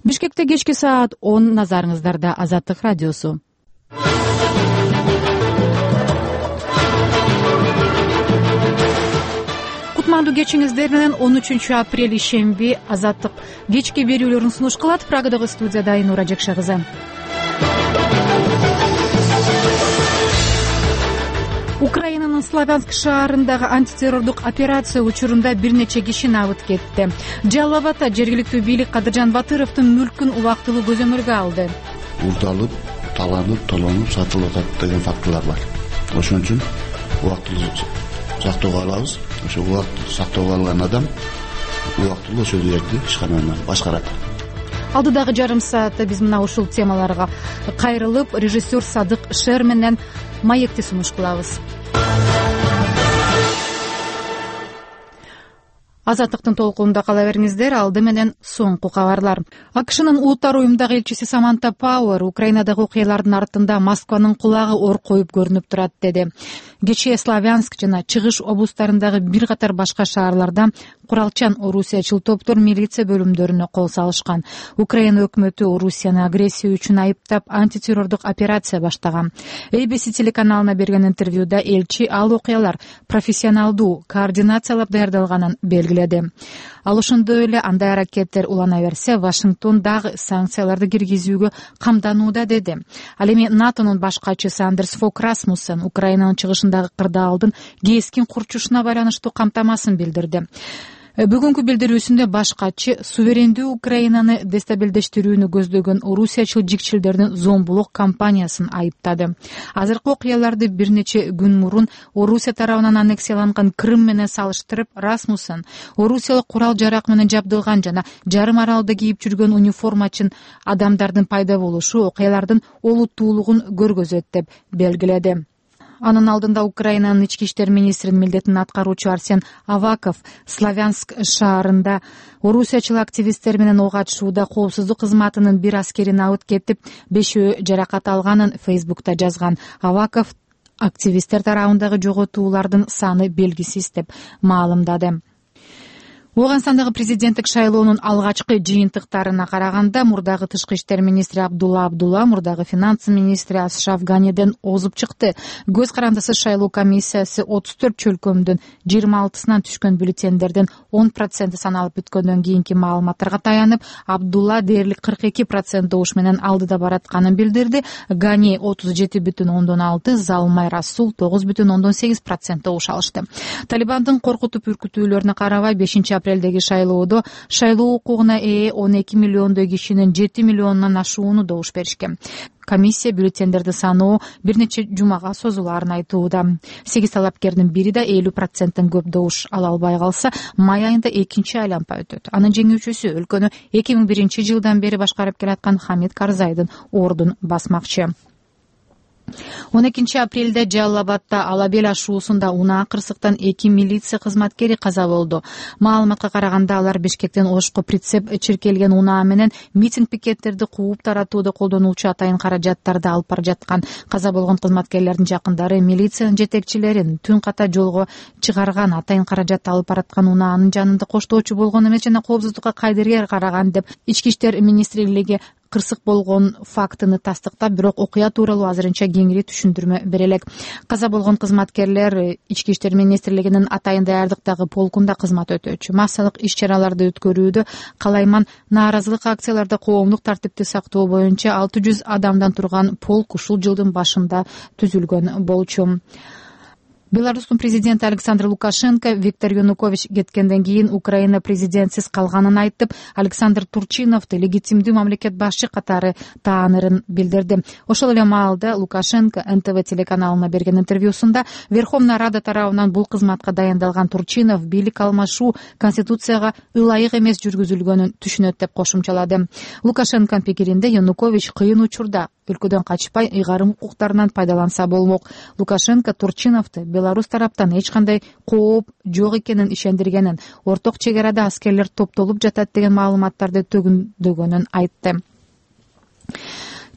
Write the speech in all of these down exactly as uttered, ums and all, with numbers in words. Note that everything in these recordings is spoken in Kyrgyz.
Бишкекте кечки саат он, назарыңыздарда Азаттык радиосу. Кутмандуу кечиңиздер менен он үчүнчү апрель ишемби Азаттык кечки берүүлөрүн сунуш кылат. Прагадагы студияда Айнура Жакша кызы. Украинанын Славянск шаарындагы антитеррордук операция учурунда бир нече киши набыт кетти. Жалал Абадта жергиликтүү бийлик Кадыржан Батыровдун мүлкүн убактылуу көзөмөлгө алды. Урдалып, таланып, толонуп, сатылып атат деген фактылар бар. Ошон үчүн убактылуу сактоого алабыз. Ошо убактылуу сактоого алган адам убактылуу ошол жерди ишкананы башкарат. Алдыдагы жарым саатта биз мына ушул темаларга кайрылып, режиссер Садык Шер менен маекти сунуш кылабыз. Азаттыктын толкунунда кала бериңиздер. Алды менен соңку кабарлар. АКШнын Улуттар уюмундагы элчиси Саманта Пауэр Украинадагы окуялардын артында Москванын кулагы ор коюп көрүнүп турат деди. Кечээ Славянск жана Чыгыш облустарындагы бир катар башка шаарларда куралчан орусиячыл топтор милиция бөлүмдөрүнө кол салышкан. Украина өкмөтү Орусияны агрессия үчүн айыптап, антитеррордук операция баштаган. эй би си телеканалына берген интервьюда элчи ал окуялар профессионалдуу координациялап даярдалганын белгиледи. Ал ошондой эле андай аракеттер улана берсе, Вашингтон дагы санкцияларды киргизүүгө камданууда деди. Ал эми НАТОнун баш катчысы Андерс Фок Расмуссен Украинанын чыгышындагы кырдаалдын кескин курчушуна байланыштуу камтамасын билдирди. Бүгүнкү билдирүүсүндө баш катчы суверендүү Украинаны дестабилдештирүүнү көздөгөн орусиячыл жикчилдердин зомбулук кампаниясын айыптады. Азыркы окуяларды бир нече күн мурун Орусия тарабынан аннексияланган Крым менен салыштырып, Расмуссен орусиялык курал жарак менен жабдылган жана жарым аралда кийип жүргөн униформачын адамдардын пайда болушу окуялардын олуттуулугун көргөзөт деп белгиледи. Анын алдында Украинанын ички иштер министринин милдетин аткаруучу Арсен Аваков Славянск шаарында орусиячыл активисттер менен ок атышууда коопсуздук кызматынын бир аскери набыт кетип, бешөө жаракат алганын Фейсбукта жазган. Аваков активисттер тарабындагы жоготуулардын саны белгисиз деп маалымдады. Ооганстандагы президенттик шайлоонун алгачкы жыйынтыктарына караганда мурдагы тышкы иштер министри Абдулла Абдулла мурдагы финанс министри Ашраф Ганиден озуп чыкты. Көз карандысыз шайлоо комиссиясы отуз төрт чөлкөмдүн жыйырма алтысынан түшкөн бюллетендерден он проценти саналып бүткөндөн кийинки маалыматтарга таянып, Абдулла дээрлик кырк эки процент добуш менен алдыда баратканын билдирди. Гани отуз жети бүтүн ондон алты, Залмай Расул тогуз бүтүн ондон сегиз процент добуш алышты. Талибандын коркутуп үркүтүүлөрүнө карабай бешинчи апрелдеги шайлоодо шайлоо укугуна ээ он эки миллиондой кишинин жети миллионунан ашууну добуш беришкен. Комиссия бюллетендерди саноо бир нече жумага созулаарын айтууда. сегиз талапкердин бири да элүү проценттен көп добуш ала албай калса, май айында экинчи айланпа өтөт. Анын жеңүүчүсү өлкөнү эки миң биринчи жылдан бери башкарып келаткан Хамид Карзайдын ордун басмакчы. он экинчи апрелде Жалал Абадта Алабел ашуусунда унаа кырсыктан эки милиция кызматкери каза болду. Маалыматка караганда алар Бишкектен Ошко прицеп чиркелген унаа менен митинг пикеттерди кууп таратууда колдонулчу атайын каражаттарды алып бара жаткан. Каза болгон кызматкерлердин жакындары милициянын жетекчилерин түн ката жолго чыгарган, атайын каражатты алып бараткан унаанын жанында коштоочу болгон эмес жана коопсуздукка кайдыргер караган деп ички иштер министрлиги кырсык болгон фактыны тастыктап, бирок окуя тууралуу азырынча кеңири түшүндүрмө бере элек. Каза болгон кызматкерлер ички иштер министрлигинин атайын даярдыктагы полкунда кызмат өтөөчү. Массалык иш-чараларды өткөрүүдө калайман нааразылык акцияларда коомдук тартипти сактоо боюнча алты жүз адамдан турган полк ушул жылдын башында түзүлгөн болчу. Беларустун президенти Александр Лукашенко Виктор Янукович кеткенден кийин Украина президентсиз калганын айтып, Александр Турчиновду легитимдүү мамлекет башчы катары таанырын билдирди. Ошол эле маалда Лукашенко эн тэ вэ телеканалына берген интервьюсунда Верховная Рада тарабынан бул кызматка дайындалган Турчинов бийлик алмашуу конституцияга ылайык эмес жүргүзүлгөнүн түшүнөт деп кошумчалады. Лукашенконун пикиринде Янукович кыйын учурда өлкөдөн качпай ыйгарым укуктарынан пайдаланса болмок. Лукашенко Турчиновду Беларусь тараптан эч кандай кооп жок экенин ишендиргенин, орток чек арада аскерлер топтолуп жатат деген маалыматтарды төгүндөгөнүн айтты.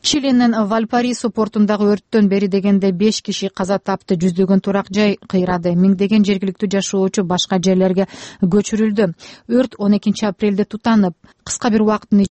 Чилинин Вальпарису портундагы өрттөн бери дегенде беш киши каза тапты, жүздөгөн турак жай кыйрады, миңдеген жергиликтүү жашоочу башка жерлерге көчүрүлдү. Өрт он экинчи апрелде тутанып, кыска бир убакыттын